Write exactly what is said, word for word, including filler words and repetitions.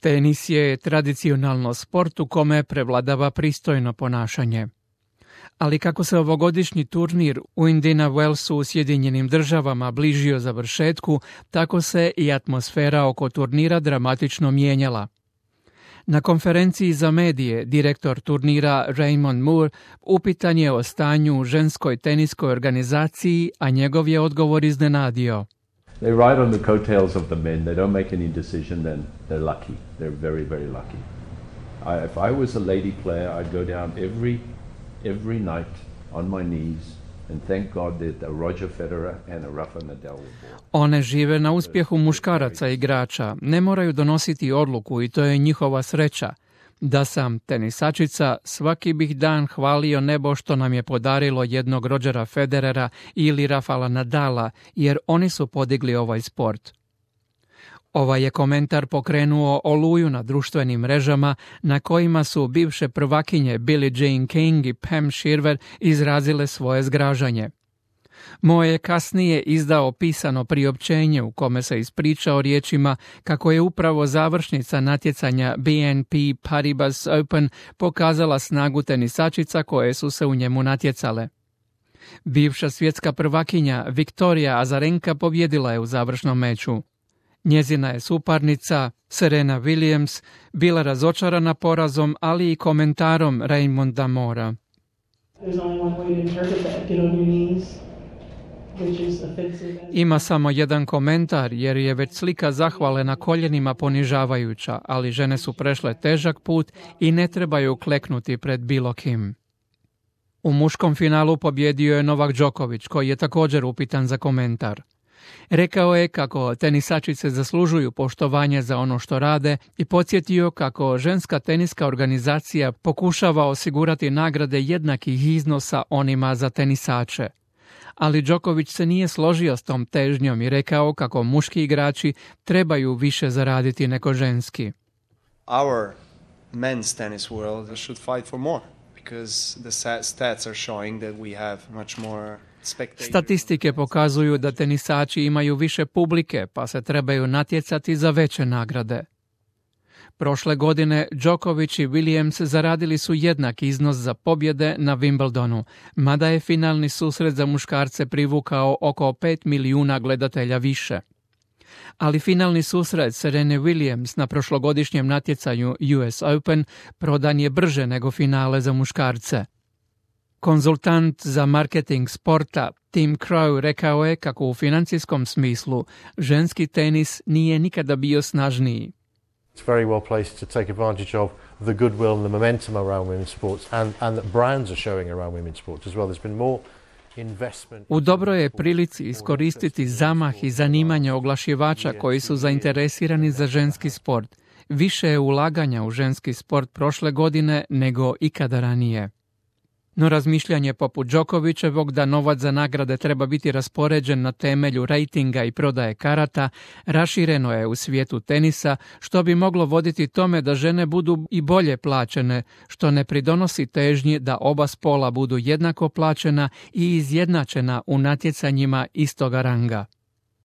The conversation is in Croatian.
Tenis je tradicionalno sport u kome prevladava pristojno ponašanje. Ali kako se ovogodišnji turnir u Indiana Wellsu u Sjedinjenim državama bližio završetku, tako se i atmosfera oko turnira dramatično mijenjala. Na konferenciji za medije direktor turnira Raymond Moore upitan je o stanju u ženskoj teniskoj organizaciji, a njegov je odgovor iznenadio. They ride on the coattails of the men. They don't make any decision, then they're lucky. They're very, very lucky. I, if I was a lady player, I'd go down every every night on my knees and thank God that a Roger Federer and a Rafa Nadal were born. One žive na uspjehu muškaraca igrača, ne moraju donositi odluku i to je njihova sreća. Da sam tenisačica, svaki bih dan hvalio nebo što nam je podarilo jednog Rogera Federera ili Rafaela Nadala, jer oni su podigli ovaj sport. Ovaj je komentar pokrenuo oluju na društvenim mrežama na kojima su bivše prvakinje Billie Jean King i Pam Shriver izrazile svoje zgražanje. Moje je kasnije izdao pisano priopćenje u kome se ispričao riječima kako je upravo završnica natjecanja B N P Paribas Open pokazala snagu tenisačica koje su se u njemu natjecale. Bivša svjetska prvakinja Viktorija Azarenka pobjedila je u završnom meču. Njezina je suparnica Serena Williams bila razočarana porazom, ali i komentarom Raymonda Moora. Ima samo jedan komentar jer je već slika zahvale na koljenima ponižavajuća, ali žene su prešle težak put i ne trebaju kleknuti pred bilo kim. U muškom finalu pobjedio je Novak Đoković, koji je također upitan za komentar. Rekao je kako tenisačice zaslužuju poštovanje za ono što rade i podsjetio kako ženska teniska organizacija pokušava osigurati nagrade jednakih iznosa onima za tenisače. Ali Đoković se nije složio s tom težnjom i rekao kako muški igrači trebaju više zaraditi nego ženski. Our men's tennis world should fight for more because the stats are showing that we have much more. Statistike pokazuju da tenisači imaju više publike, pa se trebaju natjecati za veće nagrade. Prošle godine Djokovic i Williams zaradili su jednak iznos za pobjede na Wimbledonu, mada je finalni susret za muškarce privukao oko pet milijuna gledatelja više. Ali finalni susret Serene Williams na prošlogodišnjem natjecanju U S Open prodan je brže nego finale za muškarce. Konzultant za marketing sporta Tim Crow rekao je kako u financijskom smislu ženski tenis nije nikada bio snažniji. It's very well placed to take advantage of the goodwill and the momentum around women's sports and, and that brands are showing around women's sports as well. There's been more investment. U dobroj je prilici iskoristiti zamah i zanimanje oglašivača koji su zainteresirani za ženski sport. Više je ulaganja u ženski sport prošle godine nego ikada ranije. No razmišljanje poput Đokovićevog da novac za nagrade treba biti raspoređen na temelju rejtinga i prodaje karata rašireno je u svijetu tenisa, što bi moglo voditi tome da žene budu i bolje plaćene, što ne pridonosi težnji da oba spola budu jednako plaćena i izjednačena u natjecanjima istoga ranga.